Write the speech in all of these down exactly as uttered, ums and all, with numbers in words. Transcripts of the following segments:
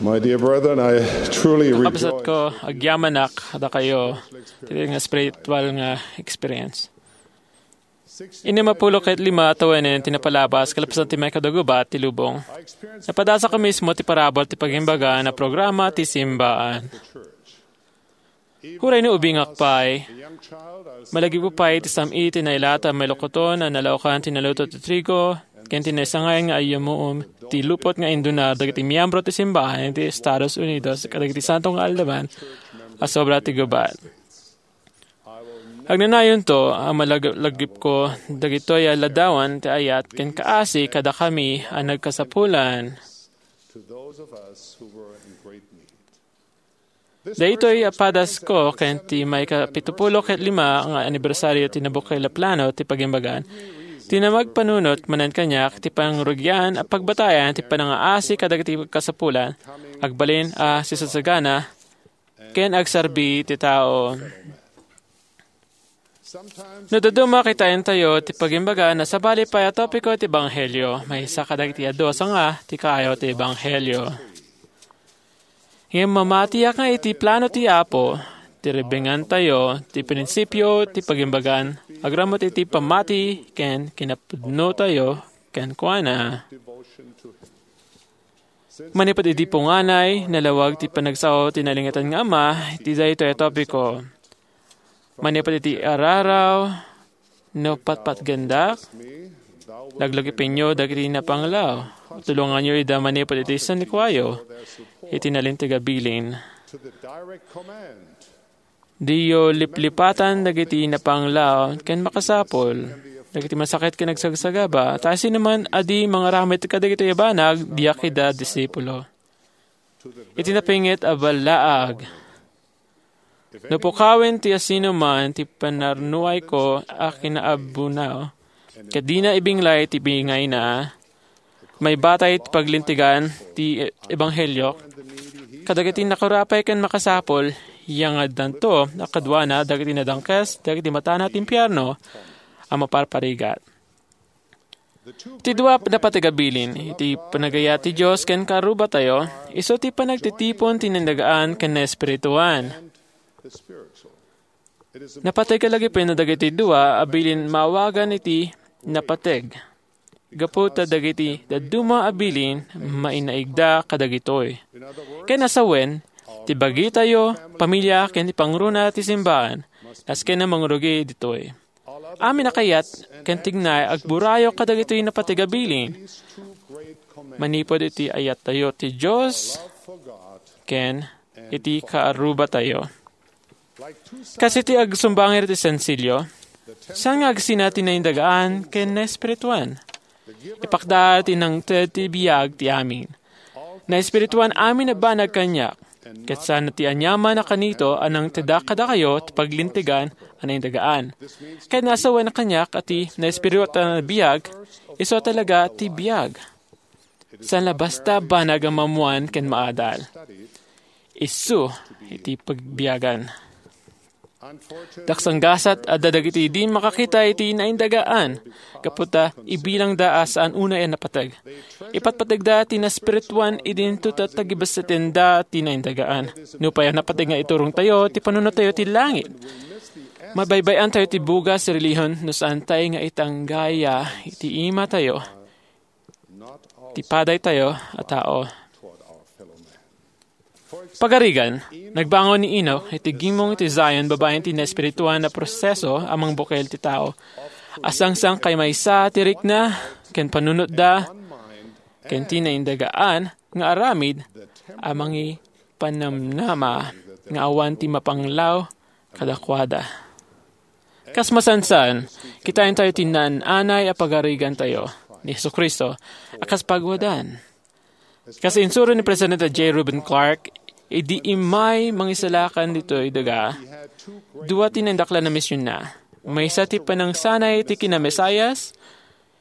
My dear brethren, I truly Kabsat rejoice. Ko, agyamanak dakayo, ti nga spiritual nga experience. Innem a pulo ket lima a tawenen ti napalabas kalpasan ti maikadagubat ti lubong. Napadasakko mismo ti parabur ti pagimbaga na programa ti simbaan. Uray no ubingak pay, malagipko pay ti sam-i ti nailata a mailukoton a nalaokan ti naluto ti trigo, ken ti naisangay nga ayyamuom ti lupot nga indunar dagiti miyembro ti simbaan iti Estados Unidos kadagiti santo nga aldawan a sobra ti gubat. Agnanayonto a malagipko dagitoy a ladawan ti ayat ken kaasi kadakami a nagkasapulan. Daytoy a padasko ken ti maikapitupulo ket lima nga anibersario ti nabukel a plano ti pagimbagan, ti namagpanunot manen kaniak ti pangrugian a pagbatayan ti panangaasi kadagiti kasapulan, agbalin a sisagsagana, ken agserbi ti tao. No dadduma, kitaentayo ti pagimbaga na sabali pay a topiko ti ebanghelio, maysa kadagiti adu a sanga ti kaayo ti ebanghelio. Ngem mamatiak nga iti plano ti Apo, ti ribengantayo ti prinsipio ti pagimbagan agraman iti pammati ken kinapudnotayo kenkuana. Manipud idi punganay, nalawag ti panagsao ti nalingitan nga Ama iti daytoy a topiko. Manipud iti araraw, no patpatgendak, laglagipenyo dagiti napanglaw. Tulonganyo ida manipud iti sanikuayo, iti nalinteg a bilin. Diyo liplipatan dagiti napanglaw ken makasapul, dagiti masakit ken agsagsagaba, ta siasinoman a di mangaramid kadagitoy a banag, diak ida disipulo. Iti napinget a ballaag, no pukawen ti asinoman ti panarnuayko a kinaabunaw, ket dina ibinglay ti bingayna, maibatay ti paglintegan ti ebanghelio kadagiti nakurapay ken makasapul, yangaddanto a kaduana dagiti nadangkes dagiti matana ti impierno a maparparigat. Ti dua a napateg a bilin, iti panagayat ti Dios ken kaarrubatayo, isu ti panagtitipon ti naindagaan ken naespirituan. Napateg a lagipen dagiti dua a bilin maawagan iti napateg. Gapu ta dagiti dadduma a bilin mainaigda kadagitoy. Ken a sawen, ti bagitayo, pamilia, ken ti pangruna ti simbaan, nasken a mangrugi ditoy. Amin a kayat ken tignay agburayo kadagitoy napateg a bilin. Manipud iti ayattayo ti Dios ken iti kaarrubatayo. Kas iti agsumbanger iti sensilio, saan nga agsina ti naindagaan ken naespirituan? Ipakda ti nangted ti biag ti amin. Naespirituan amin a banag kaniak, ket saan ti aniaman a kanito a nangtedak kadakayo ti paglintegan a naindagaan. Ket naasawen a kaniak a ti naespirituan a biag, isu talaga ti biag. Saan la basta banag a maammoan ken maadal. Isu iti pagbiagan. Daksanggasat adda dagiti di makakita iti naindagaan, gapu ta ibilangda a saan unay a napateg. Ipatpategda ti naspirituan idinto ta tagibessetenda ti naindagaan. Nupay a napateg nga iturongtayo ti panunottayo ti langit, mabaybay-antayo ti bugas ti relihon no saantay nga itanggaya iti imatayo ti padaytayo a tao. Pagarigan, nagbangon ni Enoch iti gimong ti Zion babaen ti naespirituan a proseso a mangbukel ti tao. Asangsang kay maysa ti rikna ken panunotda ken ti naindagaan nga aramid a mangipanamnama nga awan ti mapanglaw kadakuada. Kas masansan, kitaentayo ti naan-anay a pagarigantayo ni Jesu-Cristo a kas pagwadan. Kas insuro ni Presidente J. Reuben Clark, idi immay mangisalakan ditoy daga, dua ti naindaklan a misionna. Maysa ti panangsanay ti kina-Mesias,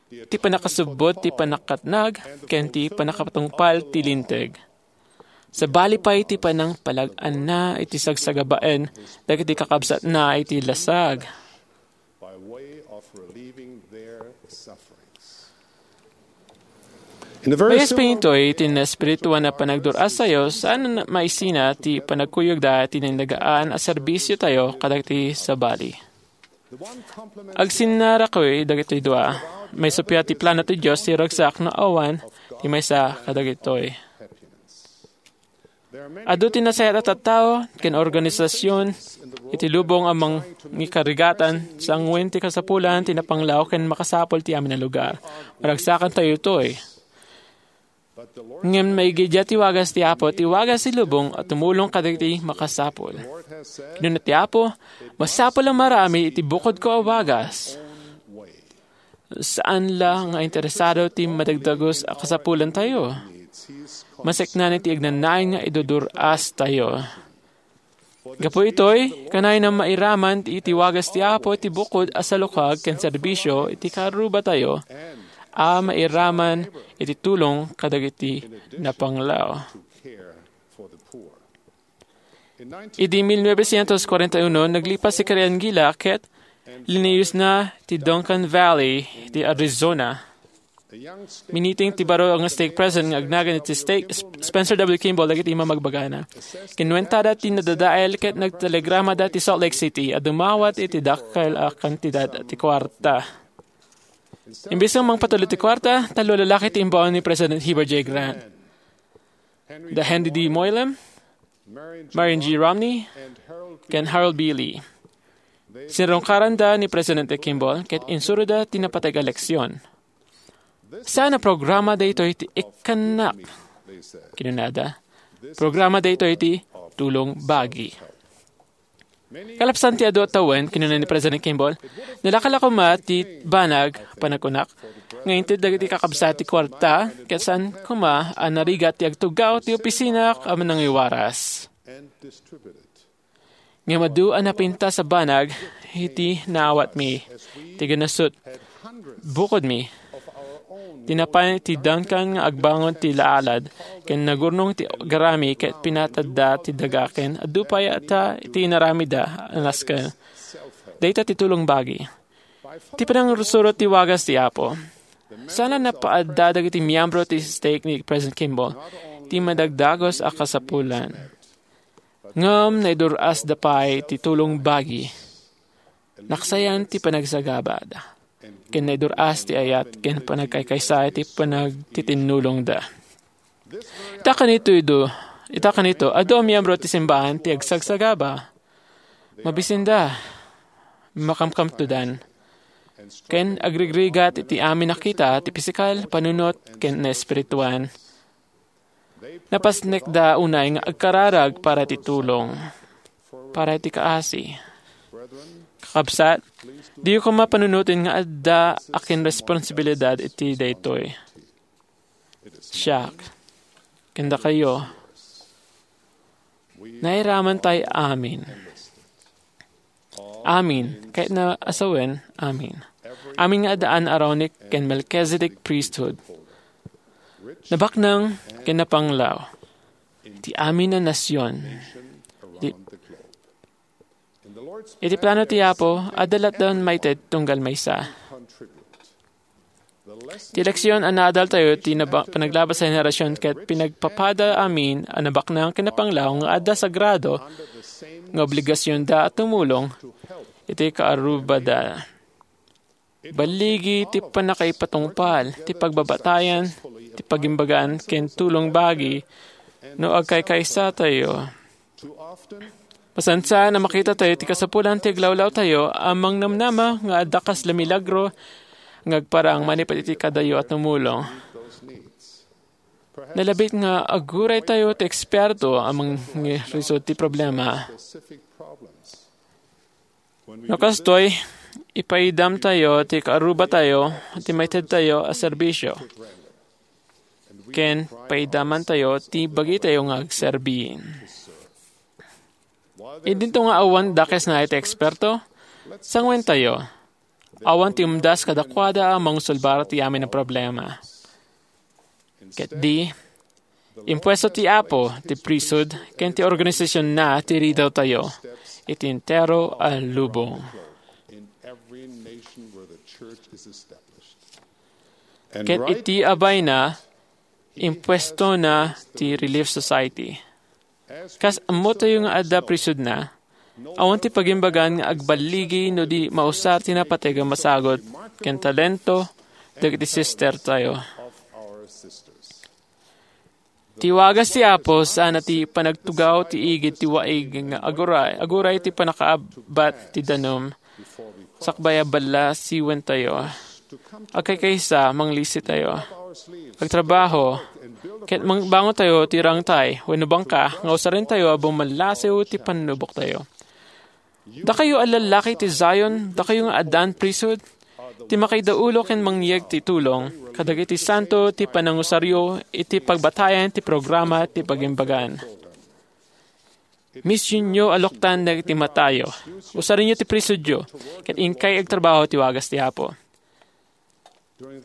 ti pannakasubbot ti pannakatnag, ken ti pannakapatungpal ti Linteg. Sabali pay ti panangpalag-anna iti sagsagabaen dagiti kakabsatna iti lasag. By way of relieving their sufferings. Maysa pay ditoy ti naespirituan a panagdur-astayo, saan a maisina ti panagkuyogda ti nainlagaan a serbisiotayo kadagiti sabali. Agsinnarakoy dagitoy dua. Maysa pay ti plano ti Dios ti ragsak no awan ti maysa kadagitoy. Adu ti nasayaat a tattao ken organisasion iti lubong a mangikarigatan, sanguen ti kasapulan ti napanglaw ken makasapul ti amin a lugar. Maragsakantayo toy. Ngem maigidia ti wagas ti Apo, ti wagas ti lubong a tumulong kadagiti makasapul. Kinuna ti Apo, "Masapul a marami iti bukodko a wagas." Saan la nga interesado ti madagdagus a kasapulantayo. Maseknan iti agnanayon nga idudur-astayo. Gapu itoy, kanayon a mairaman iti wagas ti Apo iti bukod a salukag ken serbisio iti karrubatayo a mairaman iti tulong kadagiti napanglaw. Idi mil novecientos cuarenta y uno, naglipas si Karen Gila ket liniyosna ti Duncan Valley ti Arizona. Miniting ti baro nga stake president nga agnagan iti stake, Sp-, Spencer W. Kimball, dagiti mamagbagana. Kinuentada ti nadadael ket nagtelegramada ti Salt Lake City a dumawat iti dakkel a kantidad ti kuarta. Imbes nga mangpatulod ti kuarta, tallo a lalaki ti imbaon ni President Heber J. Grant. Da Henry D. Moylan, Marion G. Romney, ken Harold B. Lee. Sinrungkaranda ni Presidente Kimball ket insuroda ti napateg a leksion. "Saan a programa daytoy ti ikkannak," kinunada. "Programa daytoy ti tulong bagi." Kalpasan ti adu a tawen, kinuna ni President Kimball, "Nalaka la koma ti banag, panagkunak, nga inted dagiti kakabsat ti kuarta, ket saan koma a narigat ti agtuggaw ti opisinak a manangiwaras. Ngem adu a napintas a banag iti naawatmi, ti ganasut, bukodmi, ti napan ti Duncan nga agbangon ti laalad, ken nagurnong ti garami ket pinatadda ti daga ken adu pay ta ti inaramidda a nasken. Dayta ti tulong bagi. Ti panangsurot ti wagas ti Apo." Saan a napaadda dagiti miyembro ti stake ni President Kimball ti madagdagus a kasapulan. Ngem naidur-asda pay ti tulong bagi. Naksayan ti panagsagabada, ken naidur-as ti ayat ken panagkaykaysa iti panagtitinnulongda. Ita kanito, idu, ita kanito, adu a miyembro ti simbahan ti agsagsagaba. Mabisinda, makamkamtodan, ken agrigrigat iti amin a kita ti pisikal, panunot, ken naespirituan. Napasnekda unay nga agkararag para ti tulong, para ti kaasi. Kakabsat, diyo koma panunoten nga adda akin responsibilidad iti daytoy. Siak, ken dakayo, nairaman tay amin. Amin. Kayatna a sawen, amin. Amin nga addaan Aaronic ken Melchizedek priesthood. Nabaknang ken napanglaw. Ti amin a nasion. Di, iti plano ti Apo, adda lattan maited tunggal maysa. Ti leksion a naadaltayo ti naba-, panaglabas a henerasion ket pinagpapada amin a nabaknang ken napanglaw nga adda sagrado nga obligasionda a tumulong iti kaarrubada. Balligi ti pannakaipatungpal, ti pagbabatayan, ti pagimbagan, ken tulong bagi no agkaykaysatayo. Masansan a makitatayo ti kasapulan ti aglawlawtayo a mangnamnama nga adda kasla milagro nga agparang manipud iti kadayo a tumulong. Nalabit nga aguraytayo ti eksperto a mangresold ti problema. No kastoy, ipaidamtayo ti kaarrubatayo ti maitedtayo a serbisio. Ken paidamantayo ti bagitayo nga agserbi. Idinto nga awan dakesna iti eksperto, sanguentayo. Awan ti umdas kadakuada a mangsolbar ti amin a problema. Ket di, impuesto ti Apo ti priesthood ken ti organisasionna ti ridawtayo iti entero a lubong. Ket iti abayna, Impuestona ti Relief Society. Kas ammotayo nga adda priesthoodna, awan ti pagimbagan nga agballigi no di mausar ti napateg a masagut ken talento dagiti sistertayo. Ti wagas ti Apo sana ti panagtugaw ti igid ti waig nga aguray, aguray ti pannakaabbat ti danum, sakbay a ballasiwentayo. Agkaykaysa, manglisitayo. Agtrabaho. Ket mangbangontayo ti rangtay wenno bangka nga usarentayo a bumallasiw ti pannuboktayo. Dakayo a lallaki ti Zion, dakayo nga addaan priesthood, ti makaidaulo ken mangyeg ti tulong kadagiti santo ti panangusaryo iti pagbatayan ti programa ti pagimbagan. Misionyo a luktan dagiti matayo. Usarenyo ti priesthoodyo, ket inkay agtrabaho ti wagas ti Apo.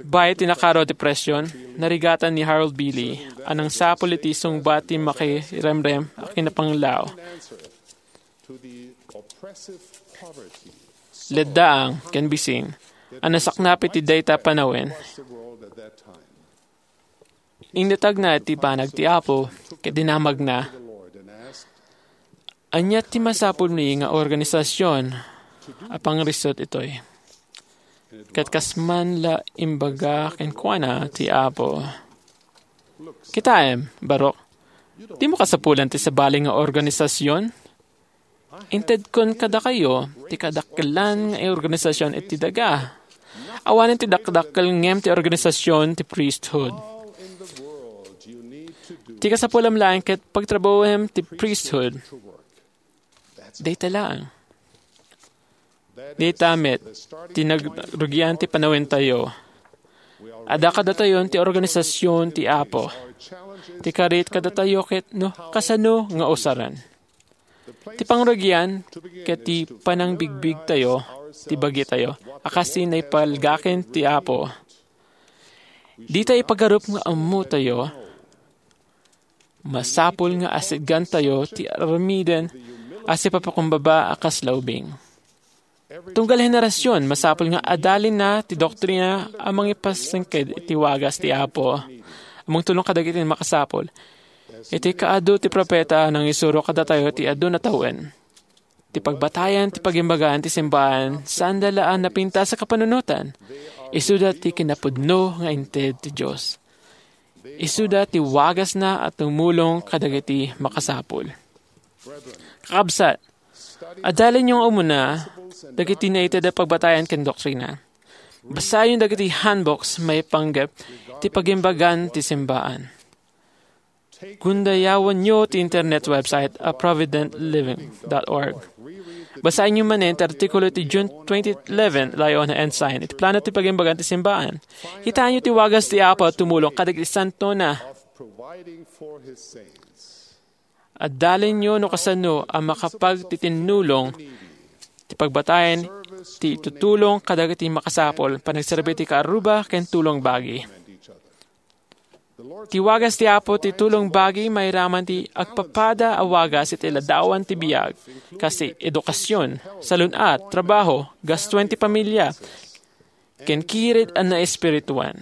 Bay ti nakaro a depression, narigatan ni Harold B. Lee a nangsapul iti sungbat ti makiremrem a kinapanglaw. Leddaang ken bisin a nasaknap iti dayta panawen. Indatagna iti banag ti Apo ket dinamagna, "Ania ti masapulmi nga organisasion a pangrisut itoy?" Ket kas man la imbaga kenkuana ti Apo, "Kitaem, barok, dimo kasapulan ti sabali nga organisasion. Intedkon kadakayo ti kadakkelan nga organisasion iti daga. Awanen ti dakdakkel ngem ti organisasion ti priesthood. Ti kasapulam laeng ket pagtrabahuem ti priesthood." Dayta laeng. Dayta met ti nagrugian ti panawentayo. Adda kadatayon ti organisasion ti Apo. Ti karit kadatayo ket no kasano nga usaren. Ti pangrugian ket ti panangbigbigtayo ti bagitayo a kas ti naipalgaken ti Apo. Dita ipagarup nga ammotayo, masapul nga asidgantayo ti aramiden a sipapakumbaba a kasla ubing. Tunggal henerasion, masapul nga adalinna ti doktrina a mangipasengked iti wagas ti Apo, a mangtulong kadagiti makasapul. Iti kaadu ti propeta a nangisuro kadatayo ti adu a tawen. Ti pagbatayan ti pagimbagan ti simbahan, saanda la a napintas a kapanunotan. Isuda ti kinapudno nga inted ti Dios. Isuda ti wagasna a tumulong kadagiti makasapul. Kakabsat, adalinyo nga umuna dagiti naited a pagbatayan ken doktrina. Basaenyo dagiti handbooks maipanggep ti pagimbagan ti simbahan. Kundayawanyo ti internet website a provident living dot org. Basaenyo manen ti artikulo ti June twenty eleven, Lay-on Ensign, iti plano ti pagimbagan ti simbahan. Kitaenyo ti wagas ti Apo a tumulong kadagiti santona. Adalinyo no kasano a makapagtitinnulong ti pagbatayan ti itutulong kadagiti makasapul, panagserbi ti kaarruba, ken tulong bagi. Ti wagas ti Apo ti tulong bagi mairaman ti agpapada a wagas iti ladawan ti biag, kas ti edukasion, salun-at, trabaho, gastoen ti pamilya, ken kired a naespirituan.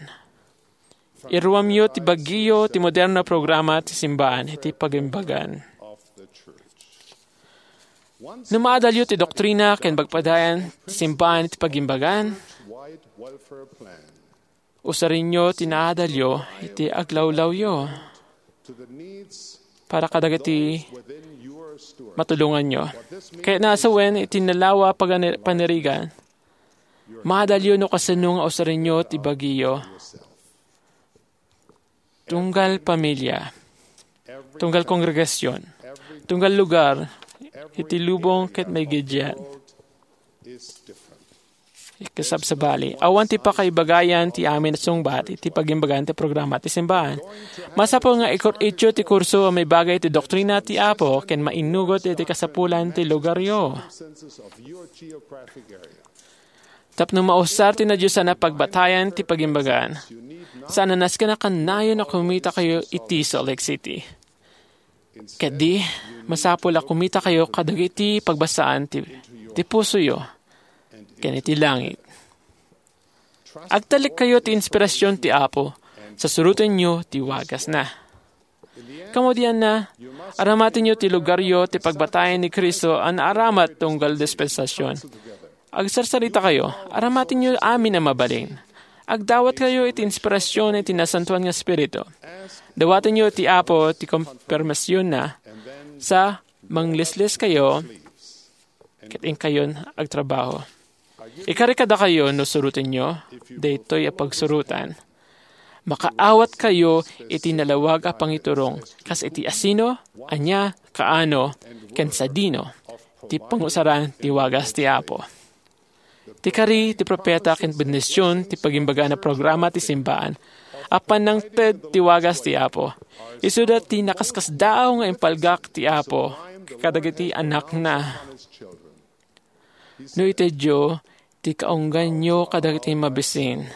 Iruamyo ti bagiyo ti moderno a programa ti simbahan iti pagimbagan. No maadalyo ti doktrina ken pagpadayan ti simbahan iti pagimbagan, usarenyo ti naadalyo iti aglawlawyo para kadagiti matulonganyo. Kayatna a sawen iti nalawa a pagani-, panirigan, maadalyo no kasano nga usarenyo ti bagiyo. Tunggal pamilya, tunggal kongregasion, tunggal lugar, iti lubong ket maigiddiat. Ikasabsabali, awan ti pakaibagayan ti amin a sungbat iti pagimbagan ti programa ti simbahan. Masapul nga ikur-, ityo ti kurso a maibaga iti doktrina ti Apo ken mainnugot iti kasapulan ti lugaryo. Tapno mausar ti nadiosan a pagbatayan ti pagimbagan, saan a nasken a kannayon a kumitakayo iti Salt Lake City. Ketdi, masapul a kumitakayo kadagiti pagbasaan ti, ti pusoyo ken iti langit. Agtalekkayo ti inspirasyon ti Apo Sasurotenyo ti wagasna. Kamudianna, aramatenyo ti lugaryo ti pagbatayan ni Cristo a naaramat tunggal dispensasion. Agsarsarita kayo, aramatenyo amin a mabalin. Agdawat kayo iti inspirasion iti Nasantoan nga Espiritu. Dawatenyo ti Apo ti konfirmasionna, sa manglislis kayo, ket inkayon agtrabaho. Ikari kadakayo no surotenyo daytoy a pagsurotan. Makaawat kayo iti nalawag a pangiturong kas iti asino, ania, kaano, ken sadino ti pangusaran ti wagas ti Apo. Ti kari ti propeta ken bendision ti pagimbagana programa ti simbaan a panangted ti wagas ti Apo. Isuda ti nakaskasdaaw nga impalgak ti Apo kadagiti anakna. No itedyo ti kaungganyo kadagiti mabisin,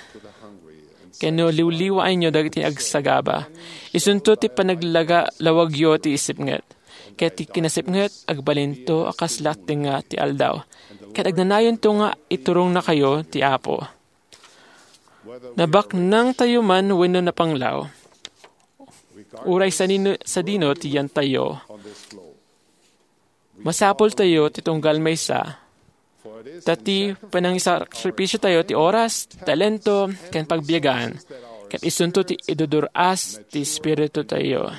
ken no liwliwaenyo dagiti agsagaba, isunto ti panaglaga-, lawagyo ti isipnget. Ket ti kinasipnget, agbalinto a kasla tengnga ti aldaw. Ket agnanayonto nga iturongnakayo ti Apo. Nabaknangtayo man wenno napanglaw, uray sanino-, sadino ti yantayo, masapultayo ti tunggal maysa, ta ti panangisakripisiotayo ti oras, talento, ken pagbiagan, ket isunto ti idudur-as ti espiritutayo.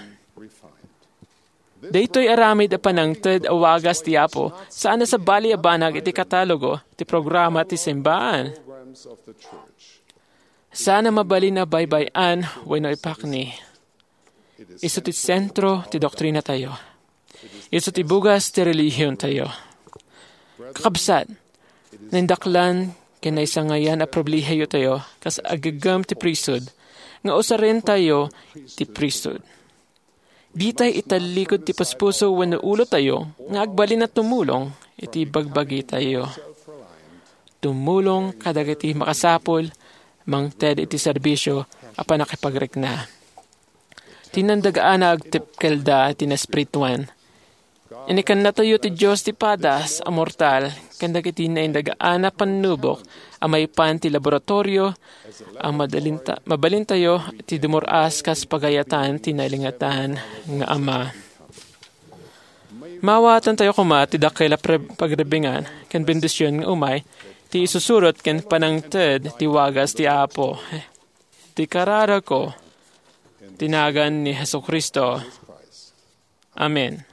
Daytoy aramid a panangted a wagas ti Apo saan a sabali a banag iti katalogo ti programa ti simbaan. Saan a mabalin a baybay-an wenno ipakni. Isu ti sentro ti doktrinatayo. Isu ti bugas ti relihiontayo. Kakabsat, naindaklan ken naisangayan a pribilehiyotayo kas aggaggem ti priesthood nga usarentayo ti priesthood. Ditay itallikud ti puspuso wenno ulotayo nga agbalin a tumulong iti bagbagitayo. Tumulong kadagiti makasapul mangted iti serbisio a pannakipagrikna. Ti naindagaan a agtipkelda ti naespirituan. Inikannatayo ti Dios ti padas a mortal ken dagiti naindagaan a pannubok a maipan ti laboratorio a madalinta-, mabalintayo ti dumur-as kas pagayatan ti nailingatan nga Ama. Maawatantayo koma ti dakkel a pre-, pagribbingan ken bendision nga umay ti isusurot ken panangted ti wagas ti Apo. Ti kararagko, ti nagan ni Jesu-Cristo. Amen.